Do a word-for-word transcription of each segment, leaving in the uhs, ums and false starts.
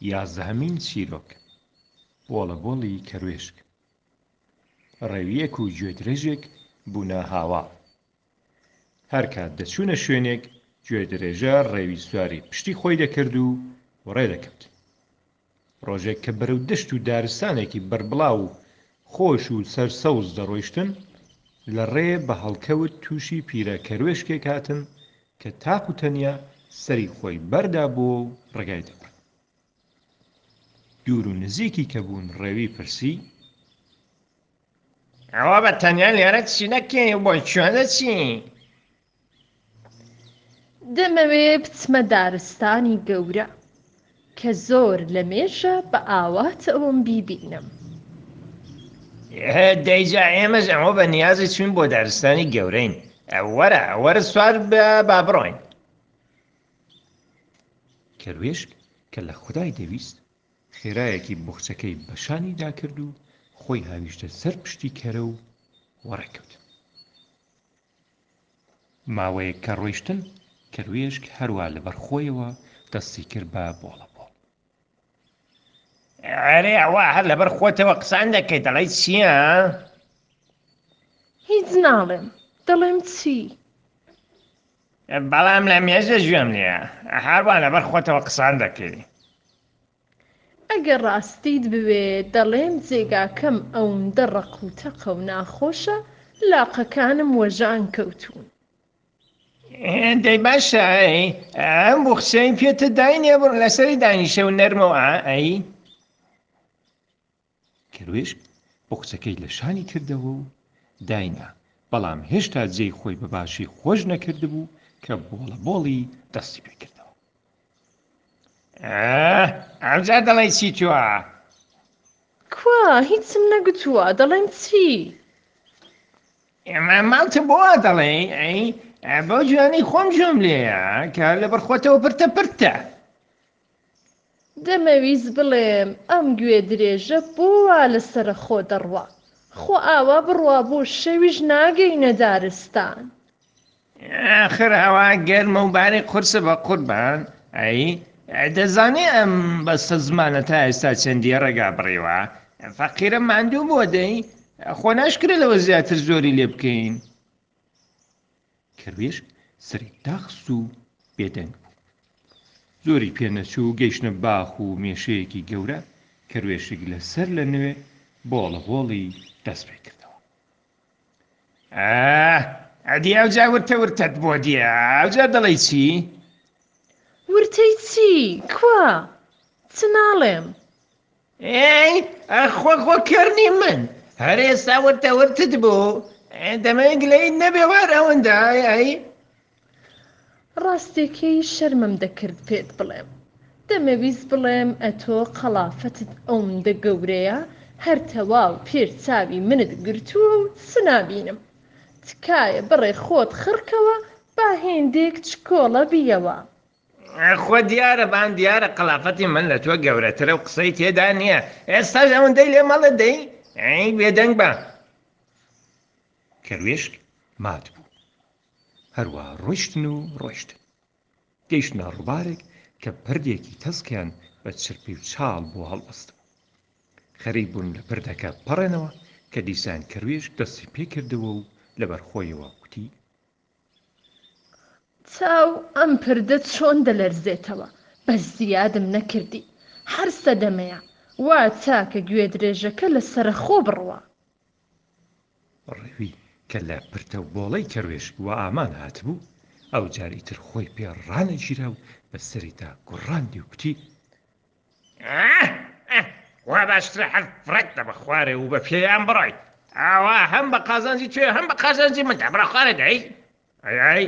یازدەهەمین چیرۆک، بۆڵەبۆڵی کەروێشک. ڕێوییەک و گوێدرێژێک بوونە هاواڵ. هەر کات دەچوونە شوێنێک، گوێدرێژە ڕێوی سواری پشتی خۆی دەکرد و وەڕێ دەکەوت. ڕۆژێک کە بەرەو دەشت و دارستانێکی بەربڵاو و خۆش و سەرسەوز دەڕۆیشتن، لە ڕێ بە هەڵکەوت تووشی پیرە کەروێشکێک هاتن کە تاق و تەنیا سەری خۆی بەردابووە و ڕێگای دەبڕی. دوور و نزیکی کە بوون ڕێوی پرسی: ئەوە بە تەنیا لێرە چی دەکەی و بۆ کوێ دەچی؟ دەمەوێ بچمە دارستانی گەورە کە زۆر لەمێژە بە ئاواتەوەم بیبینم. دەی جا ئێمەش ئەوە بە نیازی چووین بۆ دارستانی گەورەین. وەرە وەرە سوار بە با بڕۆین. کەروێشک کە لە خودای دەویست خێرایەکی بوخچەکەی بە شانیدا کرد و خۆی هاویشتە سەر پشتی کەرە و وەڕێ کەوت. ماوەیەک کە ڕۆیشتن، کەروێشک هەروا لەبەر خۆیەوە دەستی کرد بە بۆڵەبۆڵ. ئەرێ ئەوە هەر لەبەر خۆتەوە قسان دەکەی، دەڵێی چییە؟ هیچ ناڵێم، دەڵێم چی؟ بەڵام لە مێژە گوێم لێیە، هەروا لەبەر خۆتەوە قسان دەکەی. ئەگەر ڕاستیت بوێ دەڵێم جێگاکەم ئەوندە ڕەق و تەقە و ناخۆشە لاقەکانم وەژان کەوتوون. دەی باشە ئەی ئەم بوخچەی پێتە داینێ بڕ لەسەری دانیشە و نەرمە و ئا ئەی. کەروێشک بوخچەکەی لە شانی کردەوە و داینا، بەڵام هێشتا جێی خۆی بە باشی خۆش نەکردبوو کە بۆڵەبۆڵی دەستی پێ کردەوە. ئاه، ئەوجا دەڵێی چی تۆ؟ کوا هیچم نەگوتووە، دەڵێم چی؟ ئێمە ماڵتە بۆ وا دەڵێی؟ ئەی بەو جوانەی خۆم گوێم لێیە کە لەبەر خۆتەوە پرتە پرتە. دەمەویست بڵێم ئەم گوێ درێژە بۆ وا لەسەرە خۆ دەڕوا، خۆ ئاوا بڕوا بۆ شەویش ناگەینە دارستان. ئاخر هەوا گەرمە و باری قورسە بە قوربان. ئەی دەزانی ئەم بەستە زمانە تا ئێستا چەندی ڕێگا بڕیوە؟ فەقیرە ماندوو بووە. دەی خۆ ناشکرێ لەوە زیاتر زۆری لێ بکەین. کەروێشک سەری داخست و بێدەنگ بوو. زۆری پێ نەچوو گەیشتنە باخ و مێشەیەکی گەورە. کەروێشک لەسەر لە نوێ بۆڵەبۆڵی دەست پێ کردەوە. ئاه، ئەدی ئەوجا ورتە ورتەت بۆ دیە، ئەوجا دەڵێی چی؟ ورتەی چی؟ کوا؟ چ ناڵێم. ئەی خۆ خۆ کەر نیم من، هەر ئێستا ورتە ورتت بوو، دەمەوێ گلەیت نەبێ وار ئەوەندە. ئەی ئەی ڕاستێکەی شەرمم دەکرد پێت بڵێم. دەمەویست بڵێم ئەتۆ قەڵافەتت ئەوندە گەورەیە هەر تەواو پێش چاوی منت گرتووە و چ نابینم. تکایە بڕێ خۆت خڕکەوە با هێندێک چکۆڵە بیەوە. خۆ دیارە بان دیارە قەڵافەتی من لە تۆ گەورەترە و قسەی تێدا نییە. ئێستاش ئەوەندەی لێ مەڵێ دەی ئەی بێدەنگ بە. کەروێشک مات بوو. هەروا ڕۆیشتن و ڕۆیشتن. گەیشتنە ڕووبارێک کە پردێکی تەسکیان بە چرپی و چاڵ بۆ هەڵبەستبوو. خەریک بوون لە پردەکە پەڕێنەوە کە دیسان کەروێشک دەستی پێ کردەوە و لەبەر خۆیەوە گوتی: چاو ئەم پردە چۆن دەلەرزێتەوە، بەس زیادم نەکردی، هەر سەدەمەیە، وا چاکە گوێدرێژەکە لەسەرەخۆ بڕوا. ڕێوی کە لە پرتە و بۆڵەی کەروێشک وە ئامان هاتبوو، ئەو جار ئیتر خۆی پێ ڕانەگیرا و بە سەریدا گوڕاندی و گوتی: ئاه، ئاه، وا باشترە هەر فڕێت دە بە خوارێ و بە پێیان بڕۆی، ئاوا هەم بە قازانجی توێ هەم بە قازانجی من. دە بڕۆ خوارێ دەی. ئەی ئەی.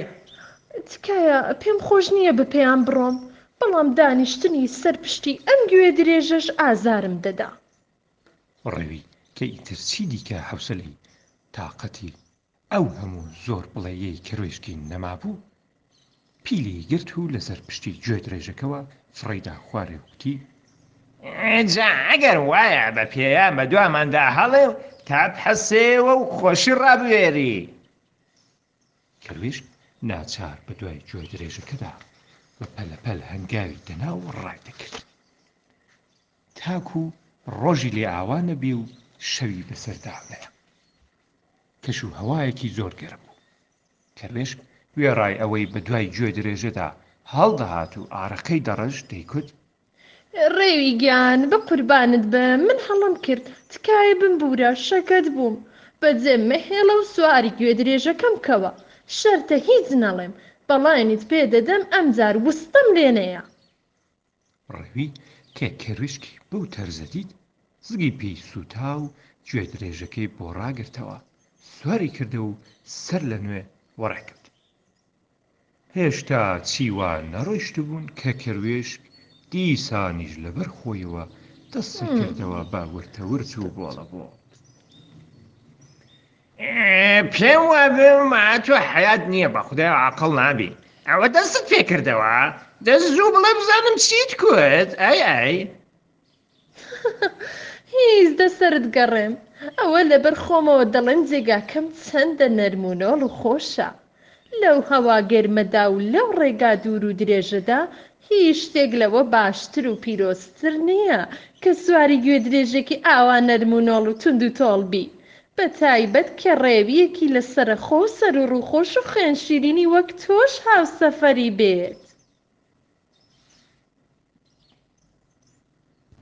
تکایە پێم خۆش نییە بە پێیان بڕۆم، بەڵام دانیشتنی سەر پشتی ئەم گوێ درێژەش ئازارم دەدا. ڕێوی کە ئیتر چی دیکە حەوسەلەی تاقەتی ئەو هەموو زۆر بڵێیەی کەروێشکی نەمابوو، پیلی گرت و لەسەر پشتی گوێ درێژەکەوە فڕێیدا خوارێ و گوتی: جا ئەگەر وایە بە پێیان بە دواماندا هەڵێ و تا بحەسێوە و خۆشی ڕابوێری. کەروێشک ناچار بە دوای گوێ درێژەکەدا بە پەلەپەل هەنگاوی دەنا و ڕای دەکرد. تاکوو ڕۆژی لێ ئاوا نەبێ و شەوی بەسەردا نەیە. کەش و هەوایەکی زۆر گەرم بوو. کەروێشک وێڕای ئەوەی بە دوای گوێدرێژەدا هەڵدەهات و ئارەقەی دەڕشت، دەیکوت. ڕێوی گیان بە قوربانت بم من هەڵەم کرد، تکایە بمبوورە، شەکەت بووم. بەجێم مەهێڵە و سواری گوێدرێژەکەم کەوە. شەرتە هیچ نەڵێم. بەڵێنیت پێ دەدەم ئەمجار وستەم لێ نەیە. ڕێوی کە کەروێشکی بەو تەرزە دیت، زگی پێی سووتا و گوێدرێژەکەی بۆ ڕاگرتەوە، سواری کردەوە و سەر لە نوێ وەڕێ کەوت. هێشتا چی وا نەڕۆیشتبوون کە کەروێشک دیسانیش لەبەر خۆیەوە دەستی کردەوە بە ورتەورت و بۆڵەبۆڵ. پێم وابێ تۆ حەیات نییە بەخودای عاقڵ نابی ئەوە دەستت پێ کردەوە دە زوو بڵێ بزانم چیت کوت ئەی ئەی. هیچ دە سەرت گەڕێم ئەوە لەبەر خۆمەوە دەڵێم جێگاکەم چەندە نەرم و نۆڵ و خۆشە لەو هەوا گەرمەدا و لەو ڕێگا دوور و درێژەدا هیچ شتێک لەوە باشتر و پیرۆزتر نییە کە سواری گوێدرێژێکی ئاوا نەرم و نۆڵ و توند و تۆڵ بی بە تایبەت کە ڕێوییەکی لە سەرەخۆ و سەروڕووخۆش و خوێنشیرینی وەک تۆش هاوسەفەری بێت.